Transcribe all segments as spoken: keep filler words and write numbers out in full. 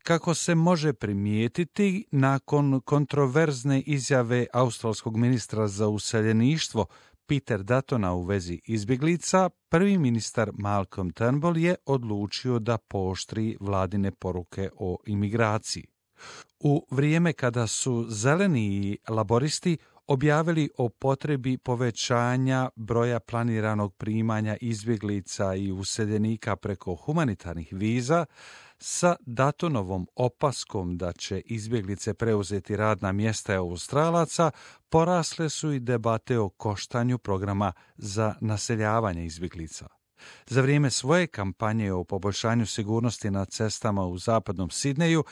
Kako se može primijetiti, nakon kontroverzne izjave australskog ministra za useljeništvo Peter Duttona u vezi izbjeglica, prvi ministar Malcolm Turnbull je odlučio da pooštri vladine poruke o imigraciji. U vrijeme kada su zeleni i laboristi objavili o potrebi povećanja broja planiranog primanja izbjeglica i useljenika preko humanitarnih viza, sa Duttonovom opaskom da će izbjeglice preuzeti radna mjesta Australaca, porasle su i debate o koštanju programa za naseljavanje izbjeglica. Za vrijeme svoje kampanje o poboljšanju sigurnosti na cestama u zapadnom Sidneju,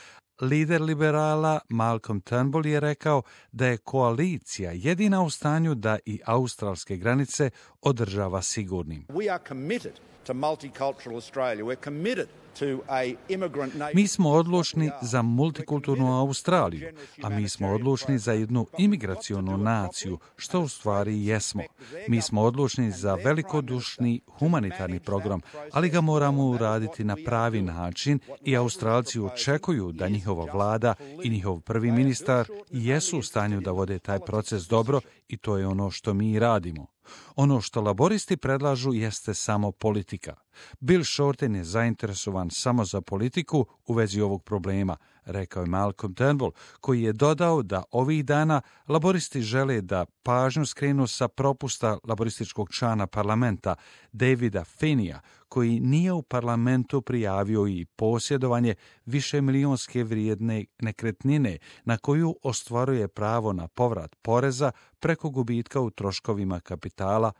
lider liberala Malcolm Turnbull je rekao da je koalicija jedina u stanju da i australske granice održava sigurnim. We are committed to multicultural Australia. We're committed to a immigrant nation. Mi smo odlučni za multikulturnu Australiju, a mi smo odlučni za jednu imigracionu naciju, što u stvari jesmo. Mi smo odlučni za velikodušni humanitarni program, ali ga moramo uraditi na pravi način i Australci očekuju da njihova vlada i njihov prvi ministar jesu u stanju da vode taj proces dobro i to je ono što mi radimo. Ono što laboristi predlažu jeste samo politika. Bill Shorten je zainteresovan samo za politiku u vezi ovog problema, rekao je Malcolm Turnbull, koji je dodao da ovih dana laboristi žele da pažnju skrenu sa propusta laborističkog člana parlamenta Davida Finneyja, koji nije u parlamentu prijavio i posjedovanje višemilijonske vrijedne nekretnine na koju ostvaruje pravo na povrat poreza preko gubitka u troškovima kapitala,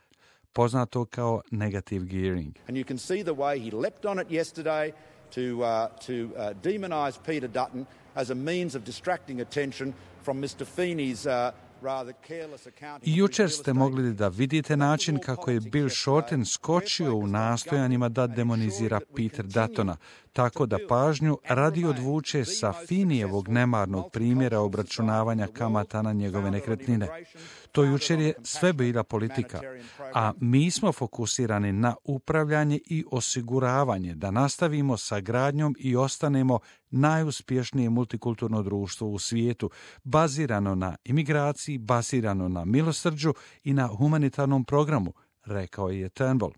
poznato kao negative gearing. And you can see the way he leapt on it yesterday to, uh, to uh, demonize Peter Dutton as a means of distracting attention from mister Feeney's uh, rather careless accounting. I jučer ste mogli da vidite način kako je Bill Shorten skočio u nastojanjima da demonizira Peter Duttona, tako da pažnju radi odvuče sa Feeneyjevog nemarnog primjera obračunavanja kamata na njegove nekretnine. To jučer je sve bila politika, a mi smo fokusirani na upravljanje i osiguravanje da nastavimo sa gradnjom i ostanemo najuspješnije multikulturno društvo u svijetu, bazirano na imigraciji, bazirano na milosrđu i na humanitarnom programu, rekao je Turnbull.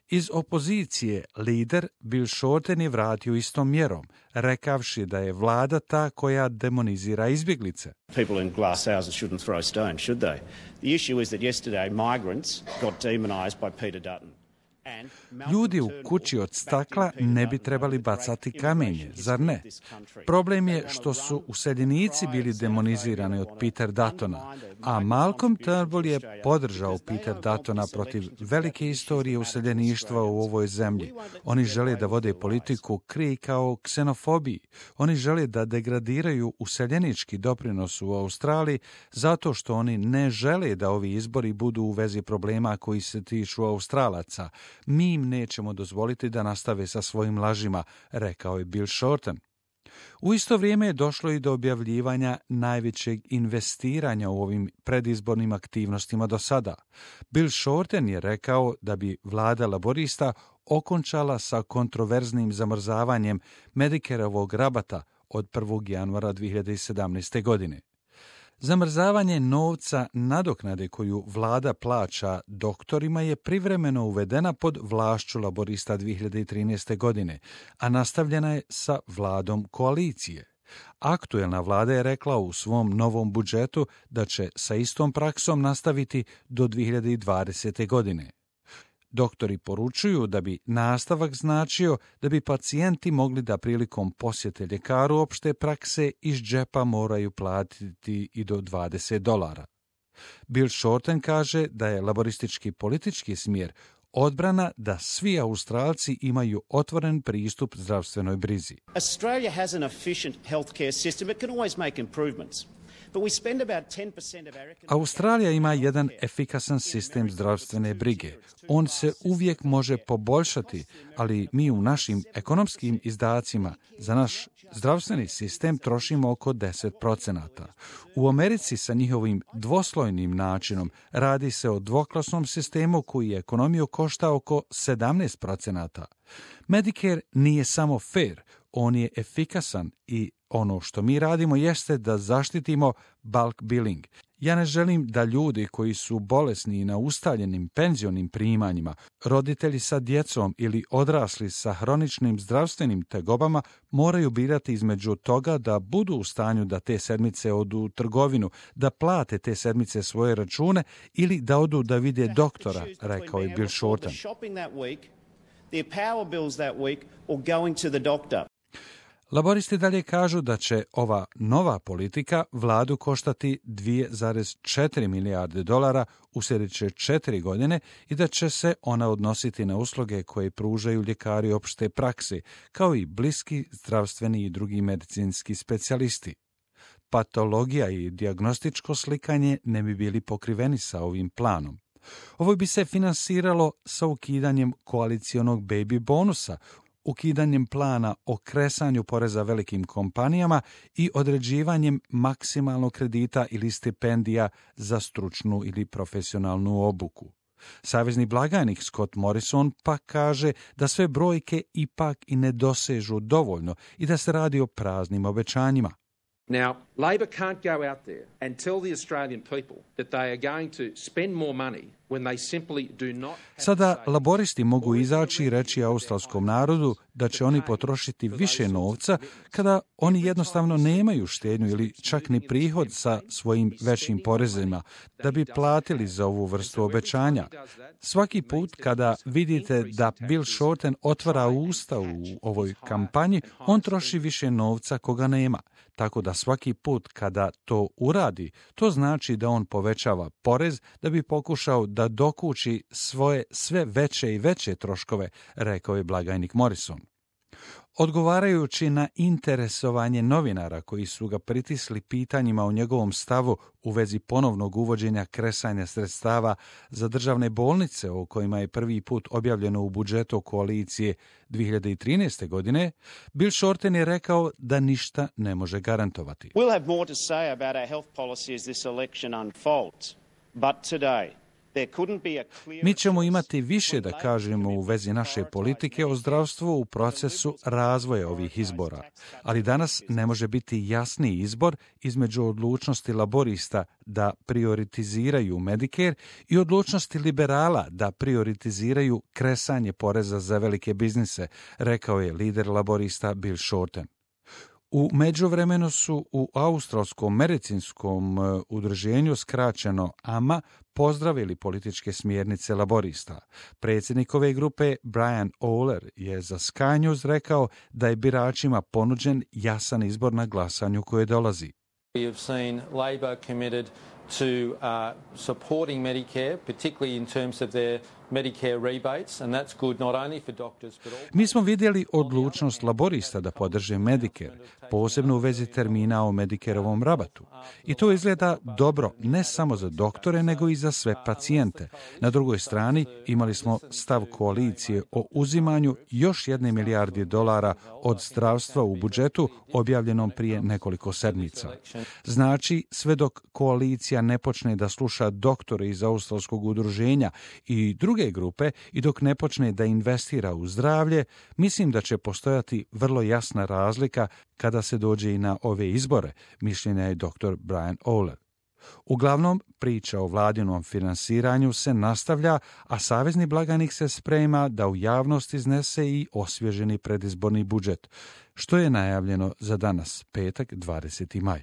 Iz opozicije lider Bill Shorten je vratio istom mjerom, rekavši da je vlada ta koja demonizira izbjeglice. People in glass houses shouldn't throw stones, should they? The issue is that yesterday migrants got demonized by Peter Dutton. Ljudi u kući od stakla ne bi trebali bacati kamenje, zar ne? Problem je što su useljenici bili demonizirani od Peter Duttona, a Malcolm Turnbull je podržao Peter Duttona protiv velike istorije useljeništva u ovoj zemlji. Oni žele da vode politiku krij kao ksenofobiji. Oni žele da degradiraju useljenički doprinos u Australiji zato što oni ne žele da ovi izbori budu u vezi problema koji se tiču Australaca. Mi im nećemo dozvoliti da nastave sa svojim lažima, rekao je Bill Shorten. U isto vrijeme je došlo i do objavljivanja najvećeg investiranja u ovim predizbornim aktivnostima do sada. Bill Shorten je rekao da bi vlada laborista okončala sa kontroverznim zamrzavanjem Medicareovog rabata od prvog januara dvije hiljade sedamnaeste. godine. Zamrzavanje novca nadoknade koju vlada plaća doktorima je privremeno uvedena pod vlašću laborista dvije hiljade trinaeste. godine, a nastavljena je sa vladom koalicije. Aktuelna vlada je rekla u svom novom budžetu da će sa istom praksom nastaviti do dvije hiljade dvadesete. godine. Doktori poručuju da bi nastavak značio da bi pacijenti mogli da prilikom posjete ljekaru opšte prakse iz džepa moraju platiti i do dvadeset dolara. Bill Shorten kaže da je laboristički politički smjer odbrana da svi Australci imaju otvoren pristup zdravstvenoj brizi. Australia has an efficient healthcare system. It can always make improvements. Australija ima jedan efikasan sistem zdravstvene brige. On se uvijek može poboljšati, ali mi u našim ekonomskim izdacima za naš zdravstveni sistem trošimo oko deset procenata. U Americi sa njihovim dvoslojnim načinom radi se o dvoklasnom sistemu koji ekonomiju košta oko sedamnaest procenata. Medicare nije samo fair, on je efikasan i ono što mi radimo jeste da zaštitimo bulk billing. Ja ne želim da ljudi koji su bolesni i na ustaljenim penzionim primanjima, roditelji sa djecom ili odrasli sa hroničnim zdravstvenim tegobama moraju birati između toga da budu u stanju da te sedmice odu u trgovinu, da plate te sedmice svoje račune ili da odu da vide doktora, rekao je Bill Shorten. Laboristi dalje kažu da će ova nova politika vladu koštati dvije zarez četiri milijarde dolara u sljedeće četiri godine i da će se ona odnositi na usluge koje pružaju ljekari opšte prakse, kao i bliski zdravstveni i drugi medicinski specijalisti. Patologija i dijagnostičko slikanje ne bi bili pokriveni sa ovim planom. Ovo bi se finansiralo sa ukidanjem koalicionog baby bonusa, ukidanjem plana o kresanju poreza velikim kompanijama i određivanjem maksimalnog kredita ili stipendija za stručnu ili profesionalnu obuku. Savezni blagajnik Scott Morrison pa kaže da sve brojke ipak i ne dosežu dovoljno i da se radi o praznim obećanjima. Now, Labor can't go out there and tell the Australian people that they are going to spend more money when they simply do not. Sada laboristi mogu izaći i reći australskom narodu da će oni potrošiti više novca kada oni jednostavno nemaju štednju ili čak ni prihod sa svojim većim porezima da bi platili za ovu vrstu obećanja. Svaki put kada vidite da Bill Shorten otvara usta u ovoj kampanji, on troši više novca koga nema. Tako da svaki put kada to uradi, to znači da on povećava porez da bi pokušao da dokući svoje sve veće i veće troškove, rekao je blagajnik Morrison. Odgovarajući na interesovanje novinara koji su ga pritisli pitanjima o njegovom stavu u vezi ponovnog uvođenja kresanja sredstava za državne bolnice o kojima je prvi put objavljeno u budžetu koalicije dvije hiljade trinaeste. godine, Bill Shorten je rekao da ništa ne može garantovati. We'll have more to say about our health policy as this election unfolds, but today Mi ćemo imati više da kažemo u vezi naše politike o zdravstvu u procesu razvoja ovih izbora, ali danas ne može biti jasniji izbor između odlučnosti laborista da prioritiziraju Medicare i odlučnosti liberala da prioritiziraju kresanje poreza za velike biznise, rekao je lider laborista Bill Shorten. U međuvremenu su u Australskom medicinskom udruženju, skraćeno A M A, pozdravili političke smjernice laborista. Predsjednik ove grupe Brian Oler je za Sky News rekao da je biračima ponuđen jasan izbor na glasanju koje dolazi. We have seen Labor committed to uh, supporting Medicare, particularly in terms of their Medicare rebates, and that's good not only for doctors but also... Mi smo vidjeli odlučnost laborista da podrže Medicare, posebno u vezi termina o Medicareovom rabatu. I to izgleda dobro ne samo za doktore, nego i za sve pacijente. Na drugoj strani imali smo stav koalicije o uzimanju još jedne milijarde dolara od zdravstva u budžetu objavljenom prije nekoliko sedmica. Znači, sve dok koalicija ne počne da sluša doktore iz Australskog udruženja i druge grupe i dok ne počne da investira u zdravlje, mislim da će postojati vrlo jasna razlika kada se dođe i na ove izbore, mišljenja je doktor Brian Oler. Uglavnom, priča o vladinom finansiranju se nastavlja, a savezni blagajnik se sprema da u javnost iznese i osvježeni predizborni budžet, što je najavljeno za danas, petak, dvadeseti maj.